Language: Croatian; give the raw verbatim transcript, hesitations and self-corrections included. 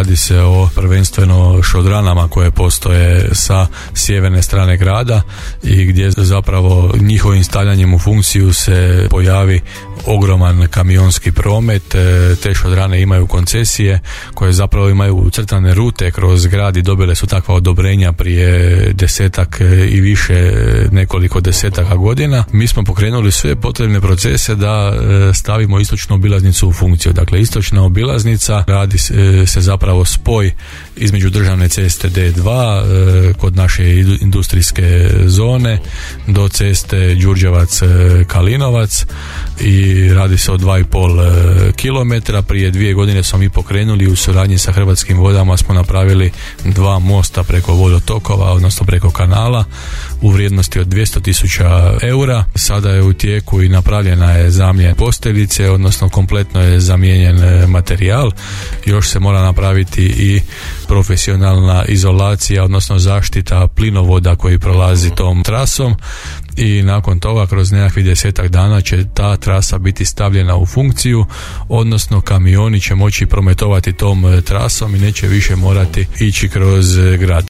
radi se o prvenstveno šodranama koje postoje sa sjeverne strane grada i gdje zapravo njihovim stavljanjem u funkciju se pojavi ogroman kamionski promet. Te šodrane imaju koncesije koje zapravo imaju ucrtane rute kroz grad i dobile su takva odobrenja prije desetak i više, nekoliko desetaka godina. Mi smo pokrenuli sve potrebne procese da stavimo istočnu obilaznicu u funkciju. Dakle, istočna obilaznica radi se zapravo spoj između državne ceste D dva kod naše industrijske zone do ceste Đurđevac-Kalinovac i radi se o dva i pol kilometra. Prije dvije godine smo mi pokrenuli u suradnji sa Hrvatskim vodama, smo napravili dva mosta preko vodotokova, odnosno preko kanala u vrijednosti od dvjesto tisuća eura. Sada je u tijeku i napravljena je zamjena posteljice, odnosno kompletno je zamijenjen materijal. Još se mora napraviti i profesionalna izolacija, odnosno zaštita plinovoda koji prolazi tom trasom i nakon toga kroz nekakvih desetak dana će ta trasa biti stavljena u funkciju, odnosno kamioni će moći prometovati tom trasom i neće više morati ići kroz grad.